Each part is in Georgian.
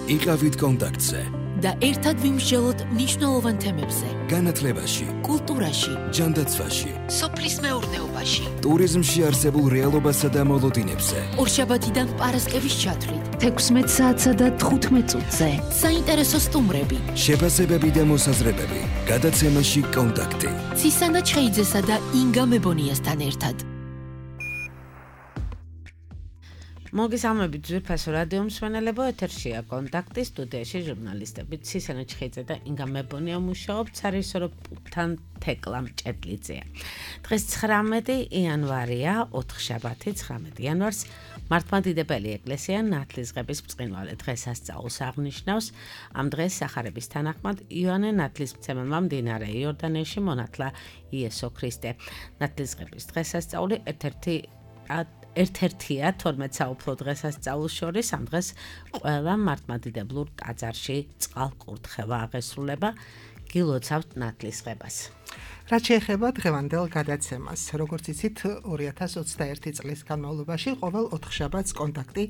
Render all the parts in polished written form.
იყავით კონტაქტზე და ერთად ვიმსჯელოთ მნიშვნელოვან თემებზე. განათლებაში, კულტურაში, ჯანდაცვაში, სოფლის მეურნეობაში, ტურიზმში არსებულ რეალობასა და მოლოდინებზე. ორშაბათიდან პარასკევის ჩათვლით, 16 საათსა და 15 წუთზე. საინტერესო სტუმრები, შეფასებები და მოსაზრებები. გადაცემაში კონტაქტი. ცისანა ჩხეიძესა და ინგა მებონიასთან ერთად. მოგესალმებით ძვირფასო რადიო მსმენელებო, ეთერშია კონტაქტი, სტუდიაში ჟურნალისტები ცისანა ჩხეიძე და ინგა მებონია მუშაობთ სარისოროფთან თეკლამ ჭედლიძეა. დღეს 19 იანვარია, ოთხშაბათი 19 იანვარს მართლმადიდებელი ეკლესია ნათლისღების ბრწყინვალე დღესასწაულს აღნიშნავს. ამ დღეს სახარების თანახმად იოანე ნათლისმცემელმა მდინარე იორდანეში მონათლა იესო ქრისტე. ნათლისღების დღესასწაული ერთ-ერთია 12 საუფლო დღესასწაულს შორის. ამ დღეს ყველა მართლმადიდებლურ ტაძარში წყალკურთხევა აღესრულება. გილოცავთ ნათლისღებას. რაც შეეხება დღევანდელ გადაცემას, როგორც იცით, 2021 წლის განმავლობაში ყოველ ოთხშაბათს კონტაქტი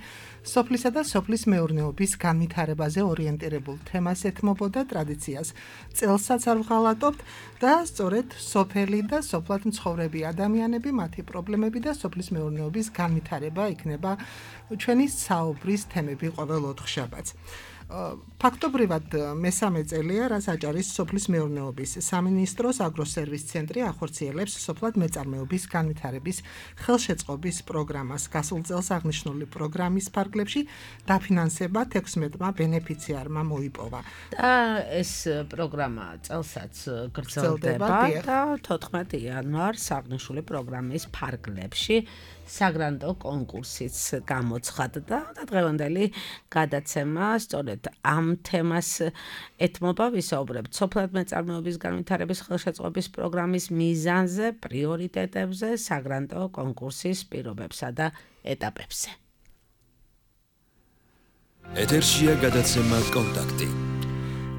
სოფლისა და სოფლის მეურნეობის განვითარებაზე ორიენტირებულ თემას ეთმობოდა ტრადიციას. წელსაც არ ვღალატობთ და სწორედ სოფელი და სოფლად მცხოვრები ადამიანები, მათი პრობლემები და სოფლის მეურნეობის განვითარება იქნება ჩვენი საუბრის თემები ყოველ ოთხშაბათს. ფაქტობრივად მესამე წელია, რაც აჭარის სოფლის მეურნეობის სამინისტროს აგროსერვის ცენტრი ახორციელებს სოფლად მეწარმეობის განვითარების ხელშეწყობის პროგრამას. გასულ წელს აღნიშნული პროგრამის ფარგლებში დაფინანსება 16 ბენეფიციარმა მოიპოვა. და ეს პროგრამა წელსაც გრძელდება და 14 იანვარს აღნიშნული პროგრამის ფარგლებში საგრანტო კონკურსიც გამოცხადდა და დღევანდელი გადაცემა სწორედ ამ თემას ეთმობა. ვისაუბრებთ სოფლად მეწარმეობის განვითარების ხელშეწყობის პროგრამის მიზანზე, პრიორიტეტებზე, საგრანტო კონკურსის პირობებსა და ეტაპებზე. ეთერშია გადაცემა კონტაქტი.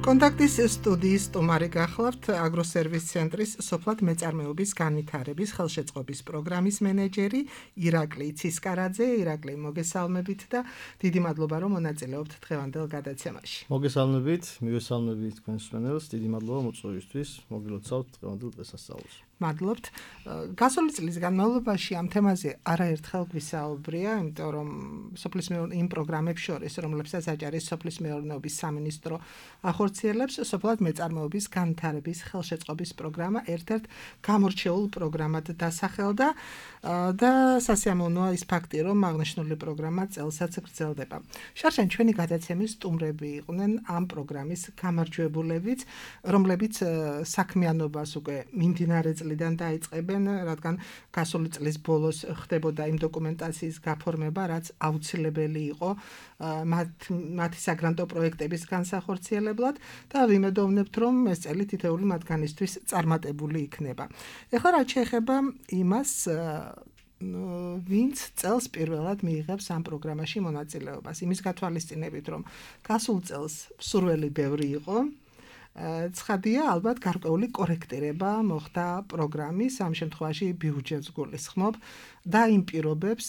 კონტაქტის სტუდიის სტუმარი გახლავთ აგროსერვის ცენტრის სოფლად მეწარმეობის განვითარების ხელშეწყობის პროგრამის მენეჯერი ირაკლი ცისკარაძე. ირაკლი, მოგესალმებით და დიდი მადლობა, რომ მონაწილეობთ დღევანდელ გადაცემაში. მოგესალმებით, მივესალმებით თქვენს მსმენელს, დიდი მადლობა მოწვევისთვის, მოგილოცავთ დღევანდელ დღესასწაულს. მადლობთ. გასული წლის განმავლობაში ამ თემაზე არაერთხელ გვისაუბრია, იმიტომ რომ სოფლის იმ პროგრამებს შორის, რომლებსაც აჭარის სოფლის მეურნეობის სამინისტრო ახორციელებს, სოფლად მეწარმეობის განვითარების ხელშეწყობის პროგრამა ერთ-ერთ გამორჩეულ პროგრამად დასახელდა და სასიამოვნოა ის ფაქტი, რომ აღნიშნული პროგრამა წელსაც გრძელდება. შარშან ჩვენი გადაცემის სტუმრები იყვნენ ამ პროგრამის გამარჯვებულებიც, რომლებიც საქმიანობას უკვე მიმდინარე წლიდან დაიწყებენ, რადგან გასული წლის ბოლოს ხდებოდა იმ დოკუმენტაციის გაფორმება, რაც აუცილებელი იყო მათი საგრანტო პროექტების განსახორციელებლად და ვიმედოვნებთ, რომ ეს წელი თითოეული მათგანისთვის წარმატებული იქნება. ეხლა რაც შეეხება იმას, ვინც წელს პირველად მიიღებს ამ პროგრამაში მონაწილეობას, იმის გათვალისწინებით, რომ გასულ წელს მსურველი ბევრი იყო, ცხადია, ალბათ გარკვეული კორექტირება მოხდა პროგრამის, ამ შემთხვევაში ბიუჯეტს გულისხმობ და იმ პირობებს,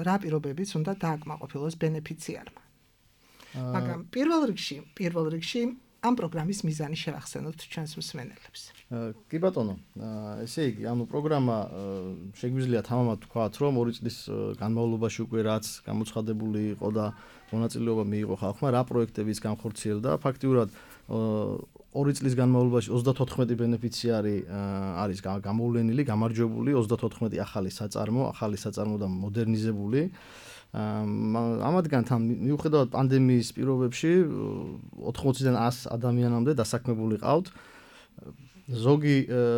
რა პირობებიც უნდა დააკმაყოფილოს ბენეფიციარმა. მაგრამ პირველ რიგში ამ პროგრამის მიზანი შევახსენოთ ჩვენს მსმენელებს. კი ბატონო, ესე იგი, პროგრამა შეგვიძლია თამამად ვთქვათ, რომ 2 წლის განმავლობაში უკვე რაც გამოცხადებული იყო და მონაწილეობა მიიღო ხალხმა, რა პროექტებიც განხორციელდა, ფაქტიურად 2 წლის განმავლობაში 34 ბენეფიციარი არის გამოვლენილი, გამარჯვებული, 34 ახალი საწარმო და მოდერნიზებული. ამათგან მიუხედავად პანდემიის პირობებში 80-დან 100 ადამიანამდე დასაქმებული ყავთ. ზოგი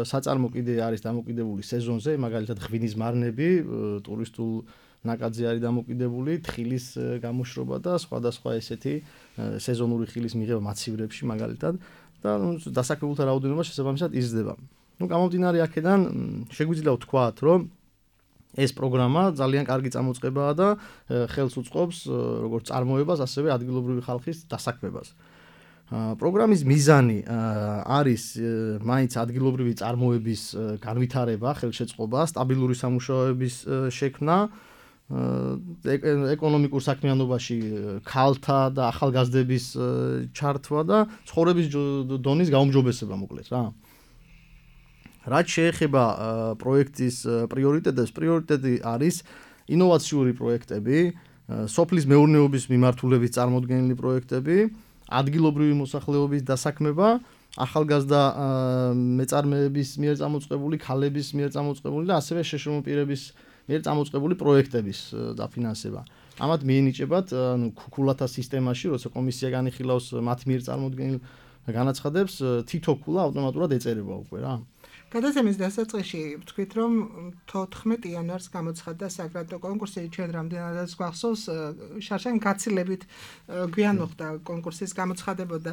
საწარმო კიდე არის დამოკიდებული სეზონზე, მაგალითად ღვინის მარნები, ტურისტულ ნაკადზე არის დამოკიდებული, თხილის გამოშრობა და სხვადასხვა ესეთი სეზონური ხილის მიღება მაცივრებში მაგალითად და დასაქმებულთა რაოდენობა შესაბამისად იზრდება. გამომდინარე აქედან შეგვიძლია ვთქვათ, რომ ეს პროგრამა ძალიან კარგი წამოწყებაა და ხელს უწყობს როგორც წარმოებას, ასევე ადგილობრივი ხალხის დასაქმებას. პროგრამის მიზანი არის მაინც ადგილობრივი წარმოების განვითარება, ხელშეწყობა, სტაბილური სამუშაოების შექმნა ეკონომიკურ საქმიანობაში ქალთა და ახალგაზრდების ჩართვა და ცხოვრების დონის გაუმჯობესება მოკლედ რა. რაც შეეხება პროექტის პრიორიტეტებს, პრიორიტეტი არის ინოვაციური პროექტები, სოფლის მეურნეობის მიმართულებით წარმოდგენილი პროექტები, ადგილობრივი მოსახლეობის დასაქმება, ახალგაზრდა მეწარმეების მიერ წამოწყებული, ქალების მიერ წამოწყებული და ასევე შეშრომო პირების მიერ წამოწყებული პროექტების დაფინანსება. ამათ მიენიჭებათ ქულათა სისტემაში, როცა კომისია განიხილავს მათ მიერ წარმოდგენილ განაცხადებს, თითო ქულა ავტომატურად ეწერება უკვე რა. გადაცემის დასაწყისში ვთქვით, რომ 14 იანვარს გამოცხადდა საგრანტო კონკურსი, ჩვენ რამდენადაც გვახსოვს, შარშან გაცილებით გვიან მოხდა კონკურსის გამოცხადება და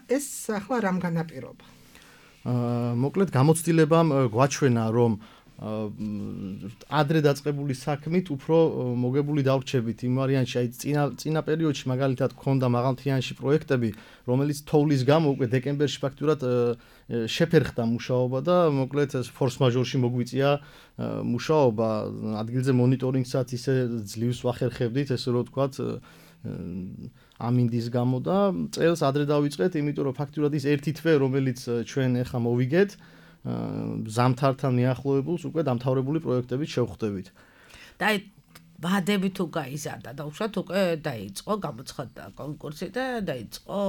ეს ახლა რამ განაპირობა? მოკლედ გამოცდილებამ გვაჩვენა, რომ ადრე დაწყებული საქმით უფრო მოგებული დავრჩებით იმ ვარიანტში, აი წინა პერიოდში მაგალითად ქონდა მაღალმთიანში პროექტები, რომელიც თოვლის გამო უკვე დეკემბერში ფაქტურად შეფერხდა მუშაობა და მოკლედ ფორს მაჟორში მოგვიწია მუშაობა, ადგილზე მონიტორინგსაც ისე ძლივს ვახერხებდით, ესე რომ ვთქვათ, ამინდის გამო და წელს ადრე დავიწყეთ, იმიტომ რომ ფაქტურად ის ერთი თვე, რომელიც ჩვენ ახლა მოვიგეთ ზამთართან მიახლოებულს უკვე დამთავრებული პროექტებით შევხვდებით. და ვადები თუ გაიზარდა და უშუალოდ უკვე დაიწყო გამოცხადდა კონკურსი და დაიწყო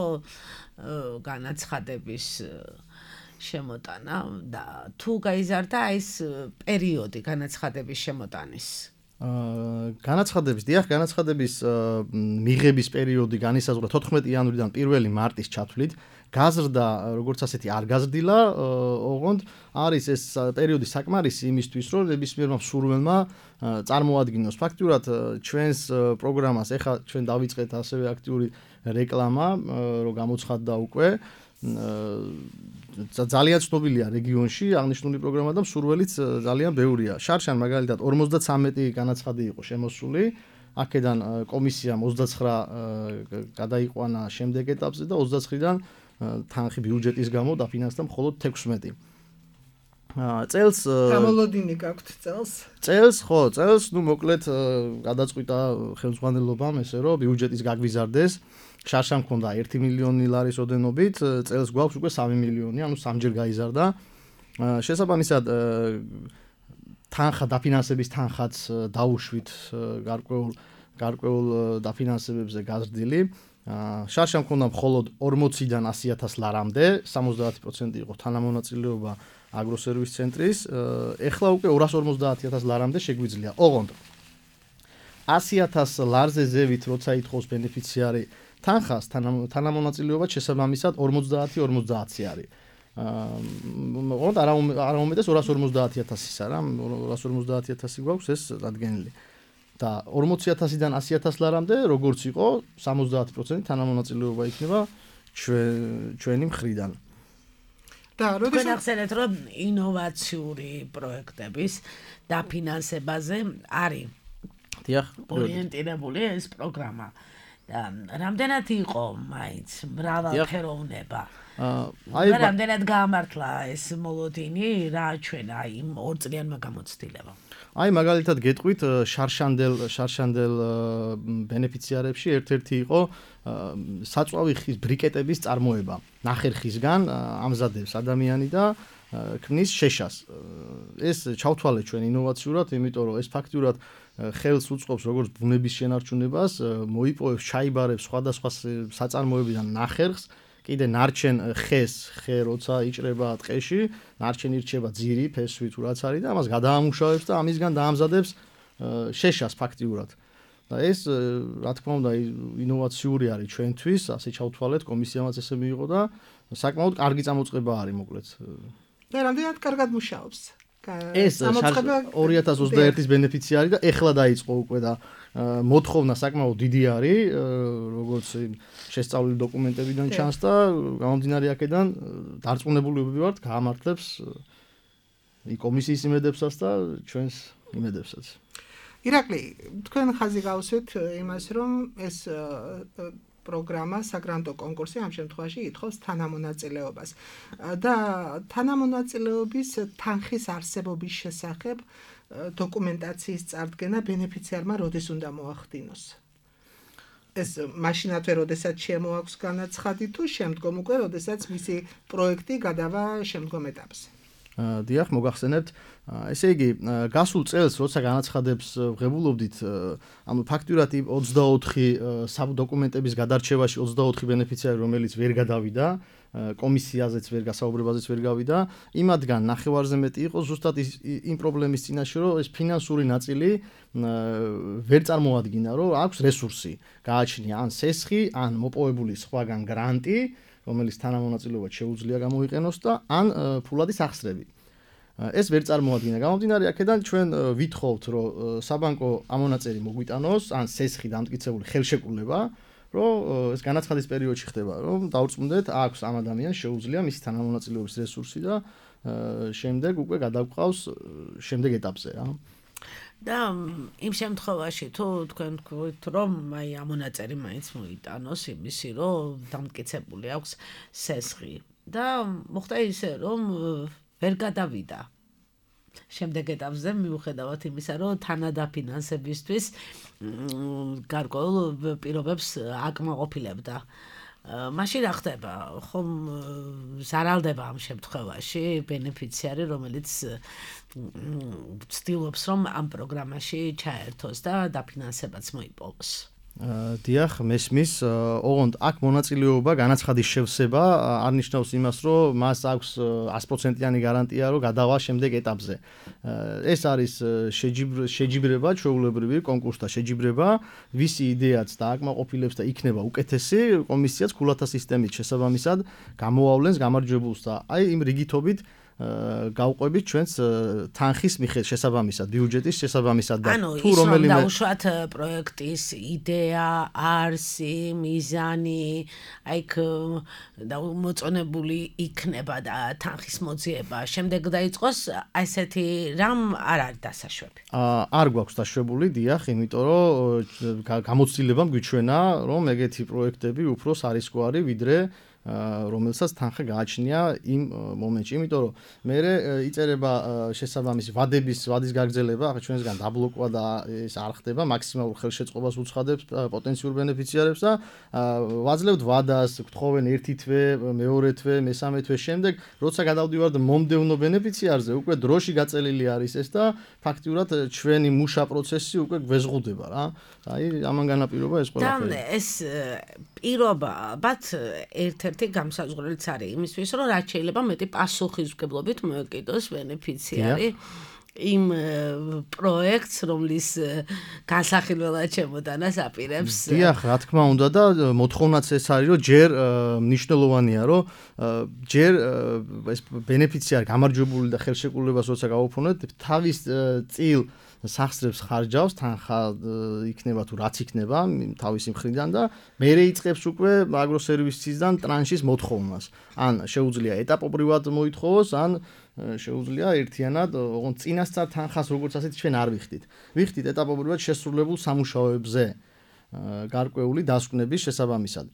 განაცხადების შემოტანა და თუ გაიზარდა ეს პერიოდი განაცხადების შემოტანის. განაცხადების მიღების პერიოდი განისაზღვრა 14 იანვრიდან 1 მარტის ჩათვლით. გაზრდა როგორც ასეთი არ გაზრდილა, ოღონდ არის ეს პერიოდი საკმარისი იმისთვის, რომ ნებისმიერმა მსურველმა წარმოადგინოს ფაქტურად ჩვენს პროგრამას. ეხლა ჩვენ დავიწყეთ ასევე აქტიური რეკლამა, რომ გამოცხადდა უკვე. ძალიან ცნობილია რეგიონში აღნიშნული პროგრამა და მსურველიც ძალიან ბევრია. შარშან მაგალითად 53 განაცხადი იყო შემოსული. აქედან კომისიამ 29 გადაიყვანა შემდეგ ეტაპზე და 29-დან თანხი ბიუჯეტის გამო დაფინანსდა მხოლოდ 16. წელს გამოლოდინი გაქვთ წელს? წელს, ნუ მოკლედ გადაწყვიტა ხელმძღვანელობამ ესე რომ ბიუჯეტის გაგვიზარდეს. შარშან მქონდა 1 მილიონი ლარის ოდენობით, წელს გვაქვს უკვე 3 მილიონი, ანუ სამჯერ გაიზარდა. შესაბამისად თანხა დაფინანსების თანხაც დაუშვით გარკვეულ დაფინანსებებზე გაზრდილი. შარშან მქონდა მხოლოდ 40-დან 100,000 ლარამდე, 70% იყო თანამონაწილეობა აგროსერვის ცენტრის, ეხლა უკვე 250,000 ლარამდე შეგვიძლია. ოღონდ 100,000 ლარზე ზევით როცა ითხოვს ბენეფიციარი თანხას, თანამონაწილეობა შესაბამისად 50-50 არის. ოღონდ არა უმეტეს 250,000-ისა რა, 250,000 გვაქვს ეს დადგენილი. და 40,000-დან 100,000 ლარამდე როგორც იყო 70% თანამონაწილეობა იქნება ჩვენი მხრიდან. და როდესაც ახსენეთ რომ ინოვაციური პროექტების დაფინანსებაზე არის ორიენტირებული ეს პროგრამა. და რამდენად იყო მაინც მრავალფეროვნება? რამდენად გაამართლა ეს მოლოდინი რა ჩვენა იმ 2 წლიანმა გამოცდილებამ? აი მაგალითად გეტყვით შარშანდელ ბენეფიციარებში ერთ-ერთი იყო საწვავი ხის ბრიკეტების წარმოება. ნახერხისგან ამზადებს ადამიანი და ქმნის შეშას. ეს ჩავთვალეთ ჩვენ ინოვაციურად, იმიტომ რომ ეს ფაქტურად ხელს უწყობს როგორც ბუნების შენარჩუნებას, მოიპოვებს, ჩაიბარებს სხვადასხვა საწარმოებიდან ნახერხს, კიდე ნარჩენ ხე როცა იჭრება ტყეში, ნარჩენ ირჩება ძირი, ფესვი თუ რაც არის და ამას გადაამუშავებს და ამისგან დაამზადებს შეშას ფაქტიურად. და ეს რა თქმა უნდა ინოვაციური არის ჩვენთვის, ასე ჩავთვალეთ, კომისიამაც ესე მიიღო და საკმაოდ კარგი წამოწყება არის მოკლედ. და რამდენად კარგად მუშაობს? ეს 2021-ის ბენეფიციარი და ეხლა დაიწყო უკვე და მოთხოვნა საკმაოდ დიდი არის, როგორც შესწავლილი დოკუმენტებიდან ჩანს და გამომდინარე აქედან დარწმუნებული ვიყავთ გაამართლებს კომისიის იმედებსაც და ჩვენს იმედებსაც. ირაკლი, თქვენ ხაზი გავუსვით იმას, რომ ეს პროგრამა, საგრანტო კონკურსი ამ შემთხვევაში ითხოვს თანამონაწილეობას. და თანამონაწილეობის თანხის არსებობის შესახებ დოკუმენტაციის წარდგენა ბენეფიციარმა როდის უნდა მოახდინოს? ეს მაშინათვე, როდესაც შემოაქვს განაცხადი თუ შემდგომ უკვე, როდესაც მისი პროექტი გადავა შემდგომ ეტაპზე. დიახ, მოგახსენებთ, ესე იგი, გასულ წელს, როცა განაცხადებს ვღებულობდით, ანუ ფაქტურად 24 დოკუმენტების გადარჩევაში 24 ბენეფიციარი, რომელიც ვერ გადავიდა, კომისიაზეც ვერ გასაუბრებაზეც ვერ გავიდა, იმათგან ნახევარზე მეტი იყო ზუსტად იმ პრობლემის წინაშე, რომ ეს ფინანსური ნაწილი ვერ წარმოადგინა, რომ აქვს რესურსი, გააჩნია ან სესხი, ან მოპოვებული სხვაგან გრანტი, რომელიც თანამონაწილეობად შეუძლია გამოიყენოს და ან ფულადი სახსრები. ეს ვერ წარმოადგინა. გამომდინარე აქედან ჩვენ ვითხოვთ, რომ საბანკო ამონაწერი მოგვიტანოს, ან სესხი დამტკიცებული ხელშეკრულება, რომ ეს განაცხადის პერიოდში ხდება, რომ დაურწმუნდეთ, აქვს ამ ადამიანს შეუძლია მისი თანამონაწილეობის რესურსი და შემდეგ უკვე გადავყავს შემდეგ ეტაპზე, რა. და იმ შემთხვევაში თუ თქვენ თქვით, რომ აი ამონაწერი მაინც მოიტანოს იმისი, რომ დამტკიცებული აქვს სესხი და მოხდა ისე, რომ ვერ გადავიდა შემდეგ ეტაპზე მიუხედავად იმისა, რომ თანადაფინანსებისთვის გარკვეულ პირობებს აკმაყოფილებდა. მაშინ რა ხდება? ხომ ზარალდება ამ შემთხვევაში ბენეფიციარი, რომელიც ცდილობს, რომ ამ პროგრამაში ჩაერთოს და დაფინანსებაც მოიპოვოს. დიახ, მესმის, ოღონდ აქ მონაწილეობა, განაცხადის შევსება არ ნიშნავს იმას, რომ მას აქვს 100%-იანი გარანტია, რომ გადავა შემდეგ ეტაპზე. ეს არის შეჯიბრება, ჩვეულებრივი კონკურსთა შეჯიბრება, ვისი იდეაც და აკმაყოფილებს და იქნება უკეთესი, კომისიაც ქულათა სისტემით შესაბამისად გამოავლენს გამარჯვებულს და აი იმ რიგითობით გავყვებით ჩვენს თანხის მიხედვით შესაბამისად, ბიუჯეტის შესაბამისად და თუ რომელიმე დაუშვათ პროექტის იდეა, არსი, მიზანი, აი მოწონებული იქნება და თანხის მოძიება, შემდეგ დაიწყოს ასეთი რამ არ არის დასაშვები. არ გვაქვს დაშვებული, დიახ, იმიტომ რომ გამოცდილებამ გვიჩვენა, რომ ეგეთი პროექტები უფრო სარისკოა ვიდრე რომელსაც თანხა გააჩნია იმ მომენტში, იმიტომ რომ მე იწერება შესაბამისი ვადის გაგრძელება, ახლა ჩვენსგან დაბლოკვა და ეს არ ხდება, მაქსიმალურ ხელშეწყობას უცხადებს პოტენციურ ბენეფიციარებს და ვაძლევთ ვადას, გთხოვენ ერთი თვე, მეორე თვე, მესამე თვე შემდეგ, როცა გადავდივართ მომდევნო ბენეფიციარზე, უკვე დროში გაწელილი არის ეს და ფაქტიურად ჩვენი მუშა პროცესი უკვე გვეზღუდება რა. აი ამან განაპირობა ეს ყველაფერი. და ეს პირობად ერთ-ერთი გამსაზღვრელიც არის იმისთვის, რომ რაც შეიძლება მეტი პასუხისმგებლობით მოეკიდოს ბენეფიციარი იმ პროექტს, რომლის განსახილველად შემოტანას აპირებს. დიახ, რა თქმა უნდა და მოთხოვნაც ეს არის, რომ ჯერ მნიშვნელოვანია, რომ ჯერ ეს ბენეფიციარი გამარჯვებული და ხელშეკრულებას როცა გავუფრთხილებთ, თავის წილ სახსრებს ხარჯავს, თანხა იქნება თუ რაც იქნება თავისი მხრიდან და მერე იწყებს უკვე აგროსერვისისგან ტრანშის მოთხოვნას. ან შეუძლია ეტაპობრივად მოითხოვოს, ან შეუძლია ერთიანად, ოღონდ წინასწარ თანხას როგორც ასეთ ჩვენ არ ვიხდით. ვიხდით ეტაპობრივად შესრულებულ სამუშაოებზე გარკვეული დასკვნების შესაბამისად.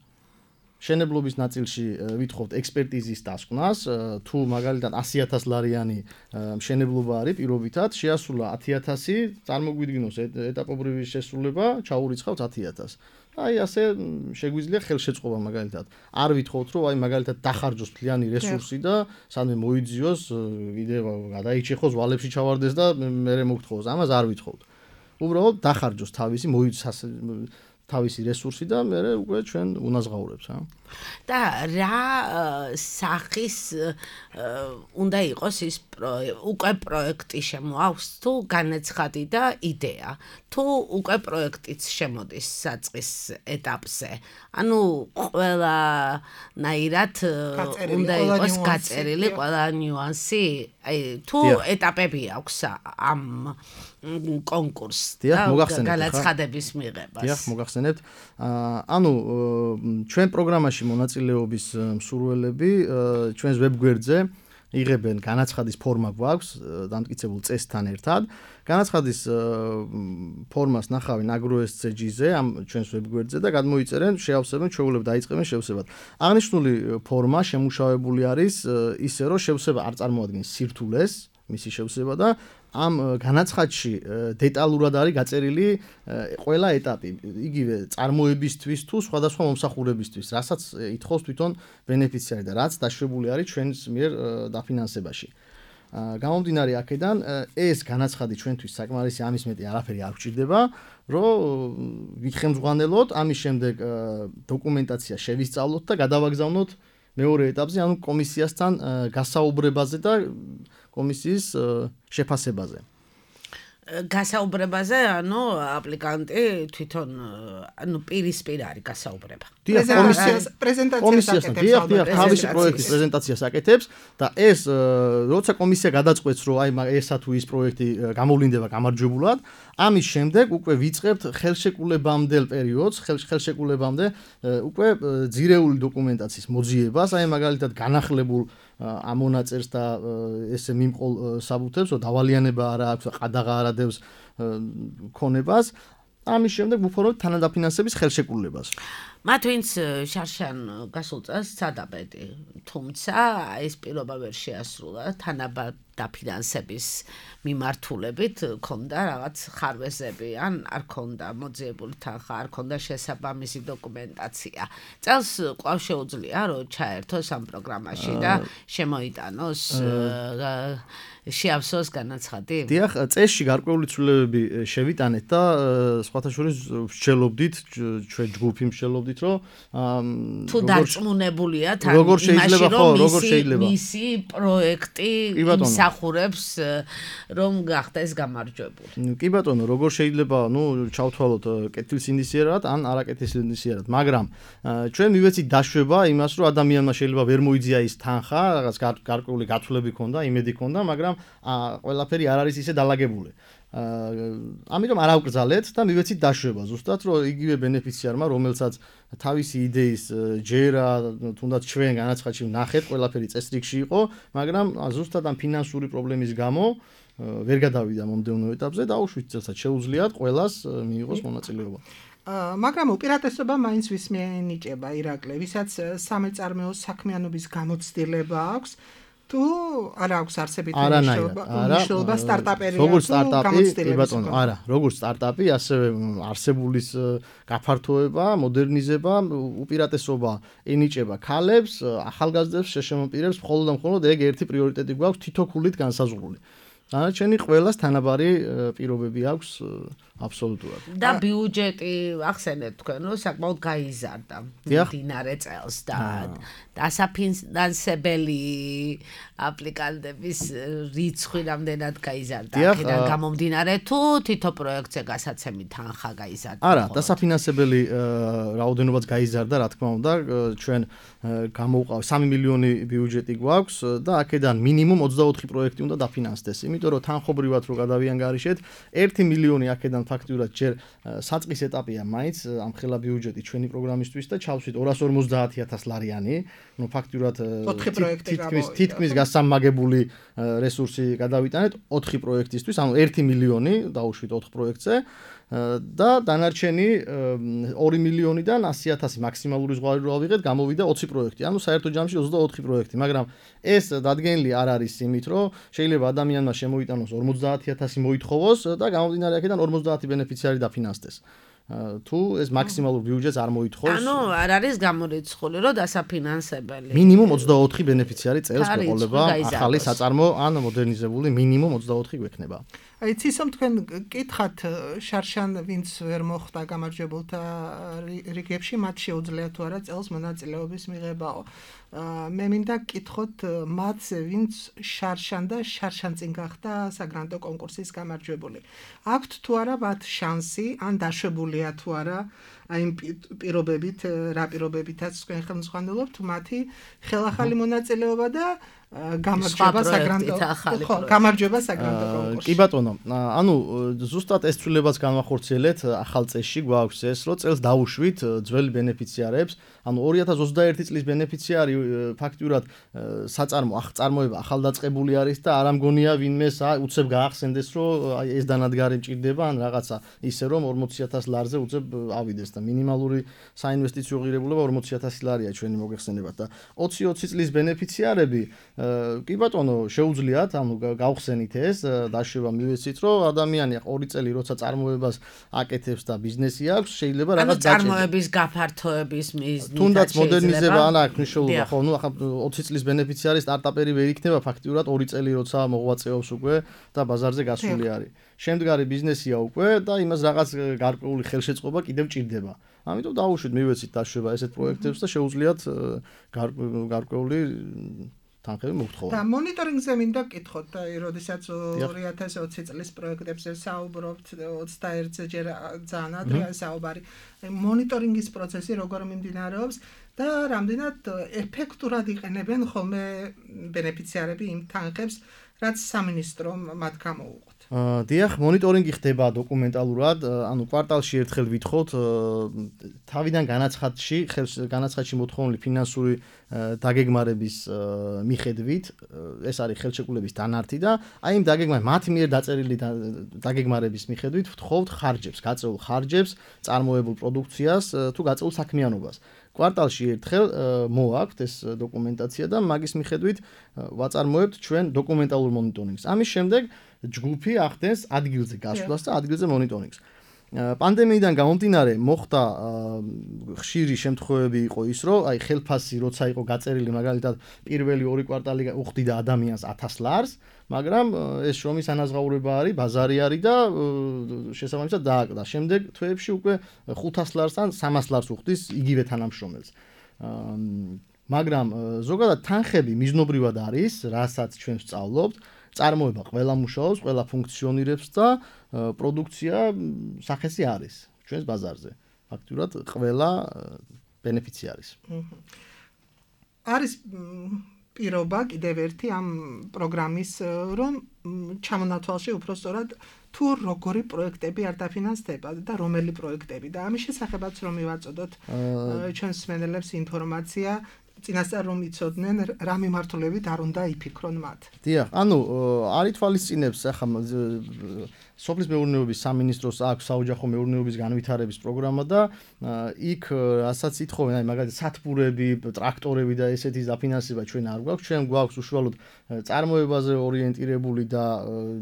შენებლობის ნაწილში ვითხოვთ ექსპერტიზის დასკვნას, თუ მაგალითად 100,000 ლარიანი მშენებლობა არის პირობითად, შეასრულა 10,000, წარმოგვიდგინოს ეტაპობრივი შესრულება, ჩაურიცხავთ 10,000. აი ასე შეგვიძლია ხელშეწყობა მაგალითად. არ ვითხოვთ, რომ აი მაგალითად დახარჯოს მთლიანი რესურსი და სანამ მოიძიოს, კიდევ გადაიჭეხოს ვალებში ჩავარდეს და მერე მოგთხოვოს. ამას არ ვითხოვთ. უბრალოდ დახარჯოს თავისი რესურსი და მე უკვე ჩვენ უნაზღაურებს, და რა სახის უნდა იყოს ის უკვე პროექტი შემოაქვს თუ განაცხადი და იდეა, თუ უკვე პროექტიც შემოდის საწყის ეტაპზე. ანუ ყველანაირად უნდა იყოს გაწერილი ყველა ნიუანსი, აი თუ ეტაპები აქვს ამ კონკურსს და განაცხადების მიღებას. დიახ, მოგახსენებთ. ანუ ჩვენ პროგრამაში მონაწილეობის მსურველები ჩვენს ვებგვერდზე იღებენ განაცხადის ფორმა გვაქვს დამტკიცებულ წესთან ერთად. განაცხადის ფორმას ნახავენ AgroSCG-ზე, ამ ჩვენს ვებგვერდზე და გადმოიწერენ, შეავსებენ, ჩვეულებრივ დაიწყებენ შევსებად. აღნიშნული ფორმა შემუშავებული არის ისე, რომ შევსება არ წარმოადგენს სირთულეს, მისი შევსება და ამ განაცხადში დეტალურად არის გაწერილი ყველა ეტაპი, იგივე წარმოებისთვის თუ სხვადასხვა მომსახურებისთვის, რასაც ითხოვს თვითონ ბენეფიციარი და რაც დაშვებული არის ჩვენს მიერ დაფინანსებაში. გამომდინარე აქედან ეს განაცხადი ჩვენთვის საკმარისი ამის მეტი არაფერი არ გვჭირდება, რომ ვიხემძღვანელოთ, ამის შემდეგ დოკუმენტაცია შევისწავლოთ და გადავაგზავნოთ მეორე ეტაპზე, ანუ კომისიასთან გასაუბრებაზე და კომისიის შეფასებაზე. გასაუბრებაზე, ანუ აპლიკანტი თვითონ ანუ პირისპირ არის გასაუბრება. პრეზენტაციას თავისი პროექტის პრეზენტაციას აკეთებს და ეს როცა კომისია გადაწყვეტს, რომ აი ესა თუ ის პროექტი გამოვლინდება გამარჯვებულად, ამის შემდეგ უკვე ვიწყებთ ხელშეკრულებამდელ პერიოდს, ხელშეკრულებამდე უკვე ძირეული დოკუმენტაციის მოძიებას, აი მაგალითად განახლებულ ამონაწერს და ესე მიმყოლ საბუთებს, რომ დავალიანება არა აქვს, ყადაღა არ ადევს ქონებას, ამის შემდეგ ვუფორმებთ თანადაფინანსების ხელშეკრულებას. მათ ვინც შარშან გასულ წელს სცადა, თუმცა ეს პირობა ვერ შეასრულა თანადაფინანსების მიმართულებით, ქონდა რაღაც ხარვეზები, ან არ ქონდა მოძიებული თანხა, არ ქონდა შესაბამისი დოკუმენტაცია. წელს კვლავ შეუძლია, რომ ჩაერთოს ამ პროგრამაში და შემოიტანოს შეავსოს განაცხადი? დიახ, წესში გარკვეული ცვლილებები შევიტანეთ და სხვათა შორის ვსჯელობდით, ჩვენ ჯგუფი ვსჯელობდით, რომ თუ დარწმუნებულია თან იმაში, რომ მისი პროექტი იმსახურებს, რომ გახდეს გამარჯვებული. კი ბატონო, როგორ შეიძლება, ჩავთვალოთ კეთილსინდისიერად ან არაკეთილსინდისიერად, მაგრამ ჩვენ მივეცით დაშვება იმას, რომ ადამიანმა შეიძლება ვერ მოიძია ის თანხა, რაღაც გარკვეული გათვლები ქონდა, იმედი ქონდა, მაგრამ ყველაფერი არ არის ისე დალაგებული. ამიტომ არ ავკრძალეთ და მივეცით დაშვება, ზუსტად რომ იგივე ბენეფიციარმა, რომელსაც თავისი იდეის ჯერა, თუნდაც ჩვენ განაცხადში ვნახეთ, ყველაფერი წესრიგში იყო, მაგრამ ზუსტად ამ ფინანსური პრობლემის გამო ვერ გადავიდა მომდევნო ეტაპზე და უშუალოდ წელსაც შეუძლიათ ყველას მიიღოს მონაწილეობა. მაგრამ უპირატესობა მაინც ვის მიენიჭება ირაკლი, ვისაც სამეწარმეო საქმიანობის გამოცდილება აქვს, თუ არ აქვს არსებითი მნიშვნელობა სტარტაპერია თუ გამოცდილება. არა, როგორც სტარტაპი, ასევე არსებულის გაფართოება, მოდერნიზება, უპირატესობა ენიჭება ქალებს, ახალგაზრდებს, შეშემოპირებს, მხოლოდ და მხოლოდ ეგ ერთი პრიორიტეტი გვაქვს თითოქულით განსაზღვრული. დანარჩენი ყველას თანაბარი პირობები აქვს აბსოლუტურად. და ბიუჯეტი ახსენეთ თქვენ, რომ საკმაოდ გაიზარდა მდინარე წელს და დასაფინანსებელი აპლიკანტების რიცხვი რამდენად გაიზარდა. აქედან გამომდინარე თუ თითო პროექტზე გასაცემი თანხა გაიზარდა. არა, დასაფინანსებელი რაოდენობაც გაიზარდა, რა თქმა უნდა, ჩვენ გამოვყავ 3 მილიონი ბიუჯეტი გვაქვს და აქედან მინიმუმ 24 პროექტი უნდა დაფინანსდეს. იმიტომ რომ თანხობრივად რო გადავიანგარიშეთ, 1 მილიონი აქედან ფაქტიურად ჯერ საწყის ეტაპია მაინც ამ ხელა ბიუჯეტი ჩვენი პროგრამისთვის და ჩავსვით 250,000 ლარიანი, ფაქტიურად თითქმის გასამაგებული რესურსი გადავიტანეთ 4 პროექტისთვის, ანუ 1 მილიონი დაუშვით 4 პროექტზე და დანარჩენი 2 მილიონიდან 100,000 მაქსიმალური ზღვარი რო ავიღეთ, გამოვიდა 20 პროექტი, ანუ საერთო ჯამში 24 პროექტი, მაგრამ ეს დადგენილი არ არის იმით, რომ შეიძლება ადამიანმა შემოიტანოს 50,000 მოითხოვოს და გამომდინარე აქედან 50 ბენეფიციარი დაფინანსდეს. თუ ეს მაქსიმალურ ბიუჯეტს არ მოითხოვს. ანუ არ არის გამორიცხული, რომ დასაფინანსებელი. მინიმუმ 24 ბენეფიციარი წელს მეყოლება ახალი საწარმო ან მოდერნიზებული მინიმუმ 24 გვექნება. აი ცისომ თქვენ კითხათ შარშან ვინც ვერ მოხდა გამარჯვებულთა რიგებში, მათ შეუძლიათ თუ არა წელს მონაწილეობის მიღებაო. მე მინდა კითხოთ მათ ვინც შარშან და შარშან წინ გახდა საგრანტო კონკურსის გამარჯვებული. აქვთ თუ არა მათ შანსი ან დაშვებულია თუ არა აი პირობებით, რა პირობებითაც თქვენ ხელმძღვანელობთ მათი ხელახალი მონაწილეობა და გამარჯვება საგრანდო გამარჯვება საგრანდო კონკურსში. კი ბატონო, ანუ ზუსტად ეს ცვლილებაც განვახორციელეთ ახალ წესში გვაქვს ეს, რომ წელს დავუშვით ძველი ბენეფიციარებს, ანუ 2021 წლის ბენეფიციარი ფაქტიურად წარმოება ახალდაწყებული არის და არ ამგონია ვინმეს უცებ გაახსენდეს, რომ აი ეს დანადგარი მჭირდება ან რაღაცა ისე რომ 40000 ლარზე უცებ ავიდეს და მინიმალური საინვესტიციო ღირებულება 40000 ლარია ჩვენი მოგეხსენებათ და 2020 წლის ბენეფიციარები კი ბატონო შეუძლიათ ანუ გავხსენით ეს დაშვება მივეცით რომ ადამიანი 2 წელი როცა წარმოებას აკეთებს და ბიზნესი აქვს შეიძლება რაღაც დაჭერდეს წარმოების გაფართოების მიზნით თუნდაც მოდერნიზება ან აქვს მნიშვნელობა ხო ნუ ახლა 20 წლის ბენეფიციარი სტარტაპერი ვერ იქნება ფაქტიურად 2 წელი როცა მოღვაწეობს უკვე და ბაზარზე გასული არის შემდგარი ბიზნესია უკვე და იმას რაღაც გარკვეული ხელშეწყობა კიდევ ჭირდება ამიტომ დავუშვით მივეცით დაშვება ესეთ პროექტებს და შეუძლიათ გარკვეული თანხები მოგთხოვოთ. და მონიტორინგზე მინდა გკითხოთ, როდესაც 2020 წლის პროექტებზე საუბრობთ 21-ზე ჯერ ძალიან ადრეა საუბარი. მონიტორინგის პროცესი როგორ მიმდინარეობს და რამდენად ეფექტურად იყენებენ ხოლმე ბენეფიციარები იმ თანხებს, რაც სამინისტრომ მათ გამოუყოთ. დიახ, მონიტორინგი ხდება დოკუმენტალურად, ანუ კვარტალში ერთხელ ვითხოვთ თავიდან განაცხადში მოთხოვნილი ფინანსური დაგეგმარების მიხედვით, ეს არის ხელშეკრულების დანართი და აი იმ მათი მიერ დაწერილი დაგეგმარების მიხედვით ვთხოვთ ხარჯებს, გაწეულ ხარჯებს, წარმოებულ პროდუქციას თუ გაწეულ საქმიანობას. კვარტალში ერთხელ მოაქვთ ეს დოკუმენტაცია და მაგის მიხედვით ვაწარმოებთ ჩვენ დოკუმენტალურ მონიტორინგს. ამის შემდეგ ჯგუფი ახდენს ადგილზე გასვლას და ადგილზე მონიტორინგს. პანდემიიდან გამომდინარე მოხდა ხშირი შემთხვევები იყო ის, რომ აი ხელფასი როცა იყო გაწერილი მაგალითად პირველი 2 კვარტალი უხდიდა ადამიანს 1000 ლარს, მაგრამ ეს შრომის ანაზღაურება არის, ბაზარი არის და შესაბამისად დააკდა. შემდეგ თვეებში უკვე 500 ლარს ან 300 ლარს უხდის იგივე თანამშრომელს. მაგრამ ზოგადად თანხები მიზნობრივად არის, რასაც ჩვენ ვსწავლობთ. წარმოება ყველა მუშაობს, ყველა ფუნქციონირებს და პროდუქცია სახესი არის ჩვენს ბაზარზე. ფაქტურად ყველა ბენეფიცი არის. არის პირობა კიდევ ერთი ამ პროგრამის რომ ჩამონათვალში უფრო სწორად თუ როგორი პროექტები არ დაფინანსდება და რომელი პროექტები და ამის შესახებაც რომ მივაწოდოთ ჩვენს მსმენელებს ინფორმაცია წინასწარ რომ იცოდნენ რა მიმართულებით არ უნდა იფიქრონ მათ. დიახ, ანუ არ ითვალისწინებს ახლა სოფლის მეურნეობის სამინისტროს აქვს საოჯახო მეურნეობის განვითარების პროგრამა და იქ რასაც ითხოვენ, აი მაგალითად სათბურები, ტრაქტორები და ესეთის დაფინანსება ჩვენ არ გვაქვს, ჩვენ გვაქვს უშუალოდ წარმოებაზე ორიენტირებული და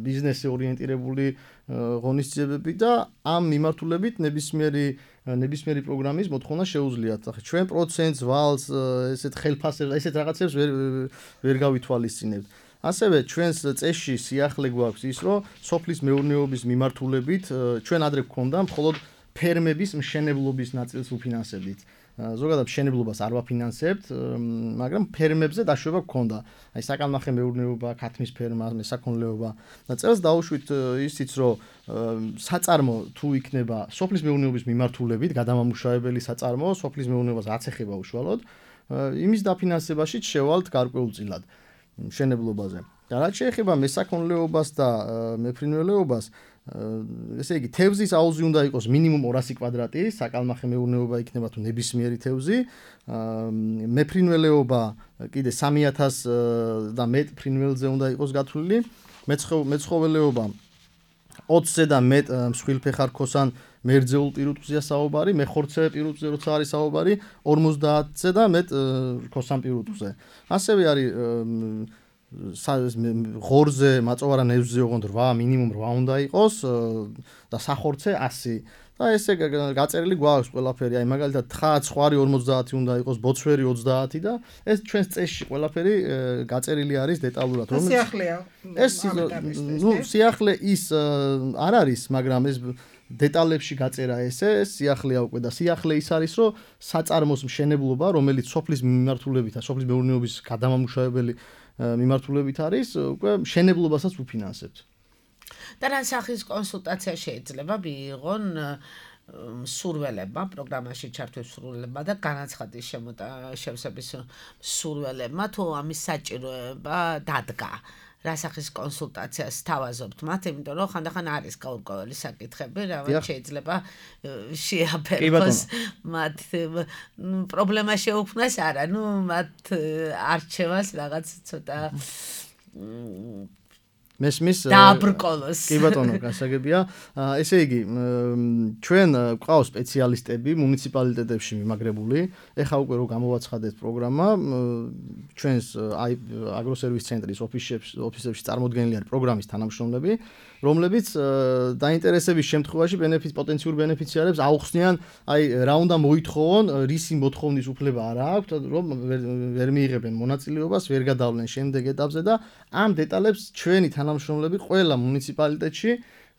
ბიზნესზე ორიენტირებული ღონისძიებები და ამ მიმართულებით ნებისმიერი პროგრამის მოთხოვნა შეუძლიათ. ახლა ჩვენ პროცენტს, ვალს, ესეთ ხელფასებს, ესეთ რაღაცებს ვერ გავითვალისწინებთ. ასევე ჩვენს წესში სიახლე გვაქვს ის, რომ სოფლის მეურნეობის მიმართულებით ჩვენ ადრე გვქონდა მხოლოდ ფერმების მშენებლობის ნაწილს უფინანსებით. ზოგადად მშენებლობას არ ვაფინანსებთ, მაგრამ ფერმებზე დაშვება გვქონდა. აი საკალმახე მეურნეობა, ქათმის ფერმა, მესაქონლეობა. და წელს დავუშვით ისიც, რომ საწარმო თუ იქნება სოფლის მეურნეობის მიმართულებით, გადამამუშავებელი საწარმო, სოფლის მეურნეობას რაც ეხება უშუალოდ, იმის დაფინანსებაშიც შევალთ გარკვეულწილად. მშენებლობაზე. და რაც შეეხება მესაქონლეობას და მეფრინველეობას, ესე იგი თევზის აუზი უნდა იყოს მინიმუმ 200 კვადრატი, საკალმახე მეურნეობა იქნება თუ ნებისმიერი თევზი, მეფრინველეობა კიდე 3000 და მეტ ფრინველზე უნდა იყოს გათვლილი, მეცხოველეობა 20-ზე და მეტ მსხვილფეხარქოსან მერძეულ პირუტყვზეა საუბარი, მეხორცე პირუტყვზე როცა არის საუბარი, 50-ზე და მეტ რქოსან პირუტყვზე. ასევე არის ღორზე, მაწოვარა ნევზზე ოღონდ 8, მინიმუმ 8 უნდა იყოს და სახორცე 100. და ესე გაწერილი გვაქვს ყველაფერი, აი მაგალითად თხა ცხვარი 50 უნდა იყოს, ბოცვერი 30 და ეს ჩვენს წესში ყველაფერი გაწერილი არის დეტალურად. სიახლეა. ეს სიახლე ის არ არის, მაგრამ ეს დეტალებში გაწერა ესე სიახლეა უკვე და სიახლე ის არის, რომ საწარმოს მშენებლობა, რომელიც სოფლის მიმართულებით, სოფლის მეურნეობის გადამამუშავებელი მიმართულებით არის, უკვე მშენებლობასაც უფინანსებთ. და რა სახის კონსულტაცია შეიძლება მიიღონ სურველებმა, პროგრამაში ჩართულ სურველებმა და განაცხადის შევსების სურველებმა, თუ ამის საჭიროება დადგა. რასახის კონსულტაციას თავაზობთ მათ, იმიტომ რომ ხანდახან არის გაურკვეველი საკითხები, რაღაც შეიძლება შეაფერხოს მათ პრობლემა შეუქმნას არა, მათ არჩევას რაღაც ცოტა მესმის დააბრკოლოს. კი ბატონო, გასაგებია. ესე იგი, ჩვენ გვყავს სპეციალისტები მუნიციპალიტეტებში მიმაგრებული. ეხა უკვე რომ გამოვაცხადეთ პროგრამა, ჩვენს აგროსერვის ცენტრის ოფისებში წარმოდგენილი არის პროგრამის თანამშრომლები, რომლებიც დაინტერესების შემთხვევაში პოტენციურ ბენეფიციარებს აუხსნიან, რა უნდა მოითხოვონ, რისი მოთხოვნის უფლება არ აქვთ, რომ ვერ მიიღებენ მონაწილეობას, ვერ გადავლენ შემდეგ ეტაპზე და ამ დეტალებს ჩვენი თანამშრომლები ყველა მუნიციპალიტეტში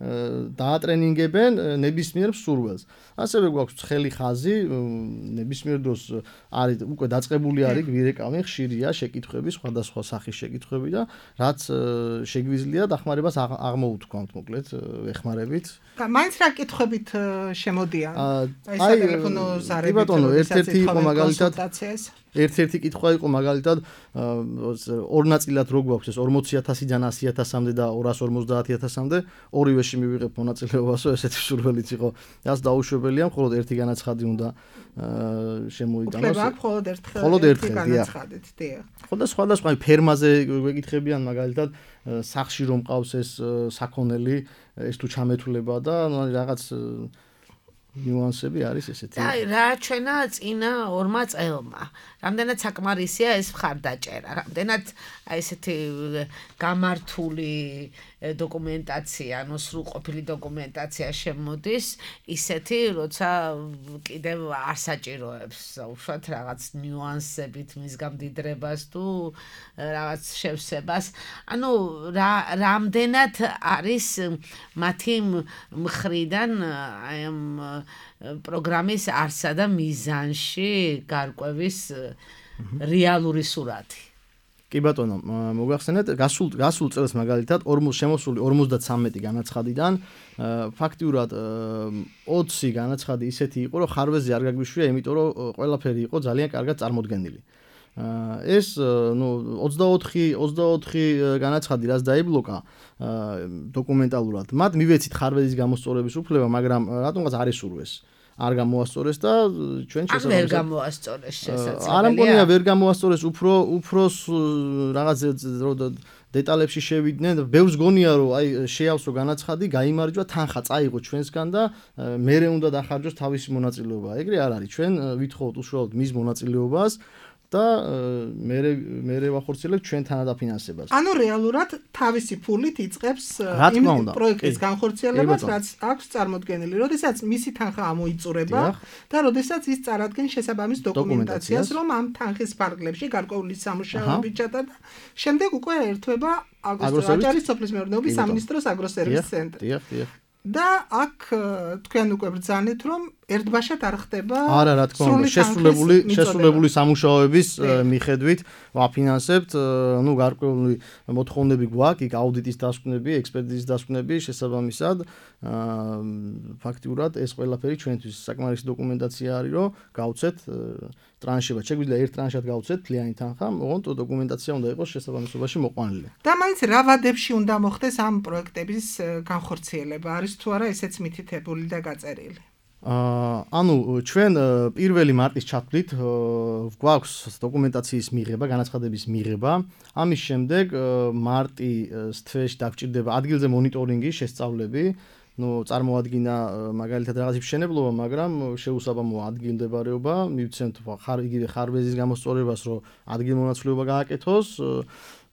დაატრენინგებენ ნებისმიერ მსურველს. ასევე გვაქვს ცხელი ხაზი, ნებისმიერ დროს არის უკვე დაწყებული არის გვირეკავი, ხშირია შეკითხვები, სხვადასხვა სახის შეკითხვები და რაც შეგვიძლია დახმარებას აღმოუთქვამთ, მოკლედ ვეხმარებით. მაინც რა კითხვებით შემოდიან? აი სატელეფონო ზარებით, ბატონო, ერთ-ერთი იყო მაგალითად კონსულტაციას. ერთ-ერთი კითხვა იყო მაგალითად ორ ნაწილად რო გვაქვს ეს 40,000-დან 100,000-მდე და 250,000-მდე ორივეში მივიღებ მონაწილეობასო, ესეთი სურველიც იყო. რაც დაუშვებელია, მხოლოდ ერთი განაცხადი უნდა შემოიტანოს. უფლება აქვს მხოლოდ ერთი განაცხადით, დიახ. ხო და სხვადასხვა ფერმაზე გვეკითხებიან მაგალითად სახში რომ ყავს ეს საქონელი, ეს თუ ჩამეთვლება და რაღაც ნიუანსები არის ესეთი. და რა ჩვენა წინა ორმა წელმა. რამდენად საკმარისია ეს მხარდაჭერა, რამდენად ესეთი გამართული დოკუმენტაცია, ანუ სრულყოფილი დოკუმენტაცია შემოდის, ისეთი, როცა კიდევ არ საჭიროებს უშუალოდ რაღაც ნიუანსებით მის გამდიდრებას თუ რაღაც შევსებას. ანუ რამდენად არის მათი მხრიდან აი ამ პროგრამის არსა და მიზანში გარკვევის რეალური სურათი. კი ბატონო, მოგახსენეთ, გასულ წელს მაგალითად შემოსული 53 განაცხადიდან ფაქტიურად 20 განაცხადი ისეთი იყო, რომ ხარვეზე არ გაგვიშვია, იმიტომ რომ ყველაფერი იყო ძალიან კარგად წარმოდგენილი. ეს 24 განაცხადი რაც დაიბლოკა დოკუმენტალურად, მათ მივეცით ხარვეზის გამოსწორების უფლება, მაგრამ რატომღაც არ ისურვეს. არ გამოასწორეს და ჩვენ შესაძლოა ვერ გამოასწორეს შესაძლებელია. არ ამგონია ვერ გამოასწორეს, უფრო რაღაც დეტალებში შევიდნენ. ბევრს გონია რომ აი შეავსო განაცხადი, გაიმარჯვა, თანხა წაიღო ჩვენსგან და მერე უნდა დახარჯოს თავისი მონაწილეობა. ეგრე არ არის. ჩვენ ვითხოვთ უშუალოდ მის მონაწილეობას და მე ვახორციელებთ ჩვენ თანადაფინანსებას. ანუ რეალურად თავისი ფულით იწყებს იმ პროექტის განხორციელებას, რაც აქვს წარმოდგენილი. როდესაც მისი თანხა ამოიწურება და როდესაც ის წარადგენს შესაბამის დოკუმენტაციას, რომ ამ თანხის ფარგლებში გარკვეული სამუშაოები ჩატარდა, შემდეგ უკვე ერთვება აჭარის სოფლის მეურნეობის სამინისტროს აგროსერვის ცენტრი. დიახ. და აქ თქვენ უკვე ბრძანეთ, რომ ერთბაშად არ ხდება არა, რა თქმა უნდა, შესრულებული სამუშაოების მიხედვით ვაფინანსებთ, გარკვეული მოთხოვნები გვაქვს, იქ აუდიტის დასკვნები, ექსპერტიზის დასკვნები შესაბამისად. ფაქტიურად ეს ყველაფერი ჩვენთვის საკმარისი დოკუმენტაცია არის, რომ გავცეთ ტრანშებად. შეგვიძლია ერთ ტრანშად გავცეთ თლიანი თანხა, ოღონდ დოკუმენტაცია უნდა იყოს შესაბამისობაში მოყვანილი. და მაინც რა ვადებში უნდა მოხდეს ამ პროექტების განხორციელება? არის თუ არა ესეც მითითებული და გაწერილი? ანუ ჩვენ 1 მარტის ჩათვლით გვაქვს დოკუმენტაციის მიღება, განაცხადების მიღება. ამის შემდეგ მარტის თვეში დაგჭირდება ადგილზე მონიტორინგი, შესწავლები. წარმოადგინა მაგალითად რაღაცის მშენებლობა, მაგრამ შეუსაბამოა ადგილმდებარეობა, მივცემთ იგივე ხარვეზის გამოსწორებას, რომ ადგილმონაცვლეობა გააკეთოს.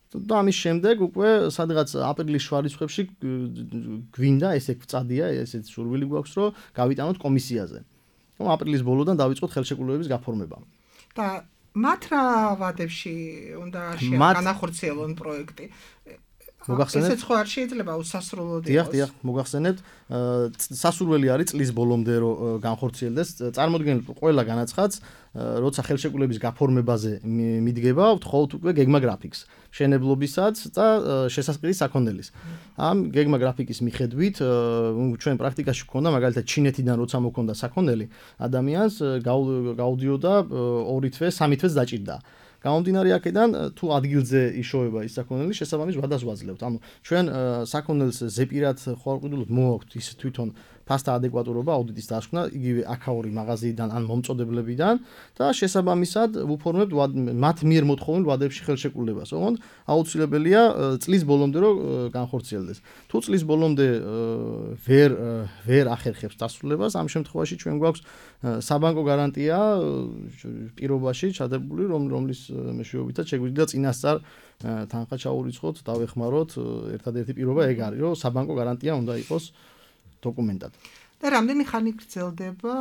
და ამის შემდეგ უკვე სადღაც აპრილის შუა რიცხვებში გვინდა ესე ვწადია, ესეც სურვილი გვაქვს, რომ გავიტანოთ კომისიაზე. აპრილის ბოლოდან დავიწყოთ ხელშეკრულების გაფორმება. და მათ რა ვადებში უნდა განახორციელონ პროექტი? მოგახსენებთ? ესეც ხო არ შეიძლება უსასრულოდ იყოს. დიახ, მოგახსენებთ, სასურველი არის წლის ბოლომდე რომ განხორციელდეს. წარმოიდგინეთ ყველა განაცხადს, როცა ხელშეკრულების გაფორმებაზე მიდგება, ვთხოვთ უკვე გეგმა გრაფიკს, მშენებლობისაც და შესაწყლის საქონელის. ამ გეგმა გრაფიკის მიხედვით ჩვენ პრაქტიკაში გვქონდა მაგალითად ჩინეთიდან როცა მოქონდა საქონელი, ადამიანს გაუდიოდა 2 თვე, 3 თვეც დაჭირდა. გამომდინარე აქედან თუ ადგილზე იშოვება ის საქონელი, შესაბამის ვადას ვაძლევთ. ანუ ჩვენ საქონელს ზეპირად ხვალყიდულობთ მოვაქვთ ის თვითონ ფასთა ადეკვატურობა აუდიტის დასკვნა იგივე აქაური მაღაზიიდან ან მომწოდებლებიდან და შესაბამისად ვუფორმებთ მათ მიერ მოთხოვილ ვადებში ხელშეკრულებას. ოღონდ აუცილებელია წლის ბოლომდე რომ განხორციელდეს. თუ წლის ბოლომდე ვერ ახერხებს დასრულებას, ამ შემთხვევაში ჩვენ გვაქვს საბანკო გარანტია პირობაში ჩადებული, რომლის მეშვეობითაც შეგვიძლია წინასწარ თანხა ჩაურიცხოთ, დავეხმაროთ. ერთადერთი პირობა ეგ არის, რომ საბანკო გარანტია უნდა იყოს დოკუმენტად. და რამდენი ხანი გრძელდება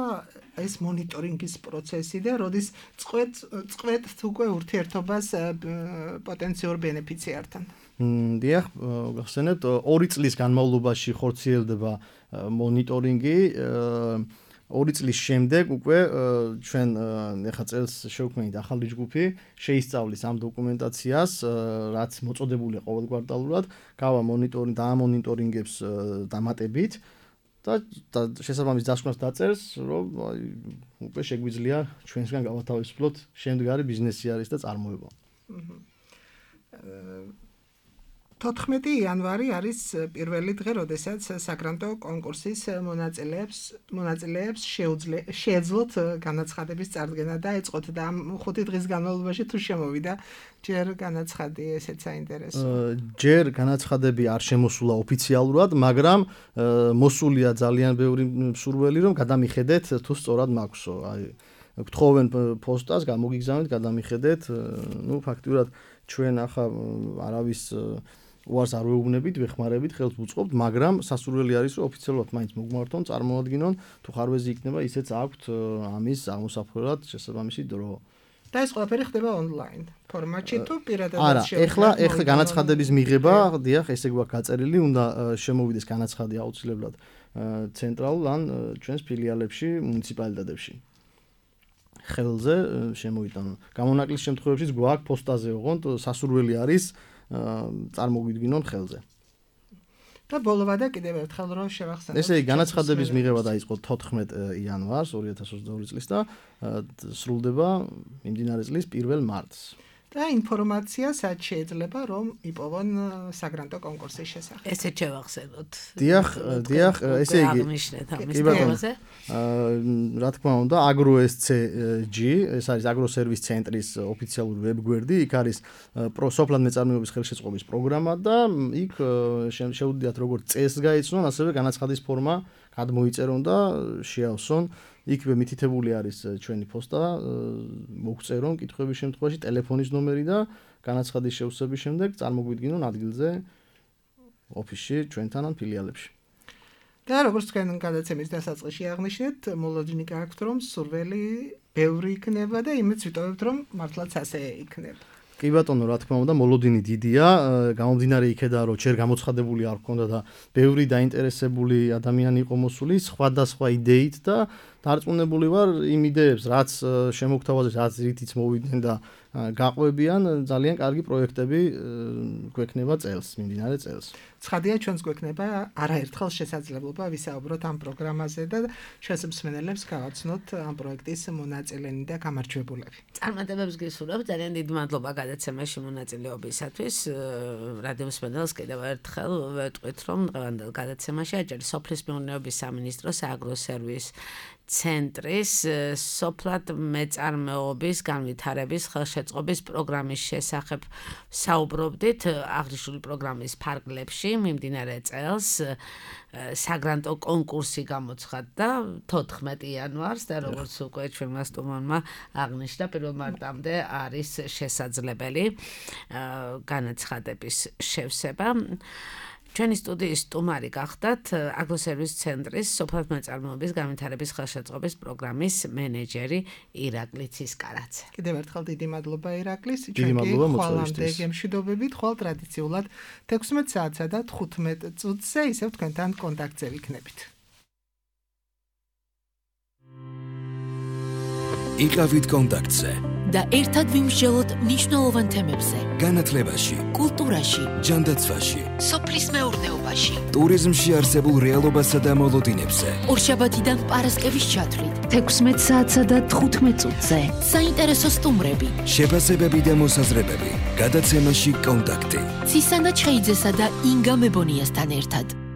ეს მონიტორინგის პროცესი და როდის წყვეტთ უკვე ურთიერთობას პოტენციურ ბენეფიციართან? დიახ, გახსენებთ 2 წლის განმავლობაში ხორციელდება მონიტორინგი. 2 წლის შემდეგ უკვე ჩვენ ეხა წელს შევქმნით ახალი ჯგუფი, შეისწავლის ამ დოკუმენტაციას, რაც მოწოდებულია ყოველ კვარტალურად, გავა მონიტორინგი და ამ მონიტორინგებს დამატებით და შესაბამის დასკვნას დაწერს, რომ უკვე შეგვიძლია ჩვენსგან გავათავისუფლოთ შემდგარი ბიზნესი არის და წარმოება. 14 იანვარი არის პირველი დღე, როდესაც საგრანტო კონკურსის მონაწილეებს შეეძლოთ განაცხადების წარდგენა და ეწყოთ და ამ 5 დღის განმავლობაში თუ შემოვიდა ჯერ განაცხადი, ესეც საინტერესოა. ჯერ განაცხადები არ შემოსულა ოფიციალურად, მაგრამ მოსულია ძალიან ბევრი მსურველი, რომ გადამიხედეთ თუ სწორად მაქვსო. აი გთხოვენ პოსტას, გამოგიგზავნეთ, გადამიხედეთ. ფაქტიურად ჩვენ ახლა არავის უარს არ ვეუბნებით, ვეხმარებით, ხელს ვუწყობთ, მაგრამ სასურველი არის, რომ ოფიციალურად მაინც მოგმართონ, წარმოადგინონ, თუ ხარვეზი იქნება, ისეც აქვთ ამის აღმოსაფხვრად შესაბამისი დრო. და ეს ყველაფერი ხდება ონლაინ ფორმატში თუ პირადად შეუძლია? არა, ეხლა განაცხადების მიღება, დიახ, ესე გვაქვს გაწერილი, უნდა შემოვიდეს განაცხადი აუცილებლად ცენტრალურ ან ჩვენს ფილიალებში, მუნიციპალიტეტებში. ხელზე შემოიტანონ. გამონაკლის შემთხვევებშიც გვაქვს პოსტაზე, ოღონდ სასურველი არის წარმოგვიდგინონ ხელზე. და ბოლოვადა კიდევ ერთხელ რომ შევახსენოთ. ესე იგი, განაცხადების მიღება დაიწყო 14 იანვარს 2022 წლის და სრულდება მიმდინარე წლის 1 მარტს. და ინფორმაცია სად შეიძლება რომ იპოვონ საგრანტო კონკურსის შესახებ. ესე შევახსენოთ. დიახ, ესე იგი. კი ბატონო. რა თქმა უნდა, AgroSCG, ეს არის აგროსერვის ცენტრის ოფიციალური ვებგვერდი, იქ არის სოფლად მეწარმეობის ხელშეწყობის პროგრამა და იქ შეუძლიათ როგორც წესს გაიცნონ, ასევე განაცხადის ფორმა გადმოიწერონ და შეავსონ. იქ მითითებული არის ჩვენი პოსტა, მოგწერონ კითხვების შემთხვევაში ტელეფონის ნომერი და განაცხადის შევსების შემდეგ წარმოგვიდგინონ ადგილზე ოფისში ჩვენთან ან ფილიალებში. და როგორც თქვენ გადაცემის დასაწყისში აღნიშნეთ, მოლოდინი გააქვთ რომ სურველი ბევრი იქნება და იმედს ვიტოვებთ რომ მართლაც ასე იქნება. კი ბატონო, რა თქმა უნდა, მოლოდინი დიდია, გამომდინარე იქედან რომ ჯერ გამოცხადებული არ ჰქონდა და ბევრი დაინტერესებული ადამიანი იყო მოსული სხვადასხვა იდეით და დარწმუნებული ვარ იმ იდეებს, რაც შემოგთავაზეს, რაც რითიც მოვიდნენ და გაყვებიან, ძალიან კარგი პროექტები გვექნება წელს, მიმდინარე წელს. ცხადია, ჩვენს გვექნება არაერთხელ შესაძლებლობა ვისაუბროთ ამ პროგრამაზე და ჩვენს მსმენელებს გავაცნოთ ამ პროექტის მონაწილენი და გამარჯვებულები. წარმატებებს გისურვებ, ძალიან დიდი მადლობა გადაცემაში მონაწილეობისათვის. რადიო მსმენელს კიდევ ერთხელ ვეტყვით, რომ დღევანდელ გადაცემაში აჭარის სოფლის მეურნეობის სამინისტროს აგროსერვის ცენტრის სოფლად მეწარმეობის განვითარების ხელშეწყობის პროგრამის შესახებ საუბრობდით აღნიშნული პროგრამის ფარგლებში მიმდინარე წელს საგრანტო კონკურსი გამოცხადდა 14 იანვარს და როგორც უკვე ჩვენმა სტუმარმა აღნიშნა 1 მარტამდე არის შესაძლებელი განაცხადების შევსება. ჩვენი სტუდიის სტუმარი გახდათ აგროსერვის ცენტრის სოფლის მეწარმოების განვითარების ხელშეწყობის პროგრამის მენეჯერი ირაკლი ცისკარაძე. კიდევ ერთხელ დიდი მადლობა ირაკლის. დიდი მადლობა მოწვევისთვის. ხვალამდე გემშვიდობებით, ხვალ ტრადიციულად 16 საათსა და 15 წუთზე ისევ თქვენთან კონტაქტზე ვიქნებით. იყავით კონტაქტზე და ერთად ვიმსჯელოთ მნიშვნელოვან თემებზე. განათლებაში, კულტურაში, ჯანდაცვაში, სოფლის მეურნეობაში, ტურიზმში არსებულ რეალობასა და მოლოდინებზე. ორშაბათიდან პარასკევის ჩათვლით, 16 საათსა და 15 წუთზე. საინტერესო სტუმრები, შეფასებები და მოსაზრებები. გადაცემაში კონტაქტი. ცისანა ჩხეიძესა და ინგა მებონიასთან ერთად.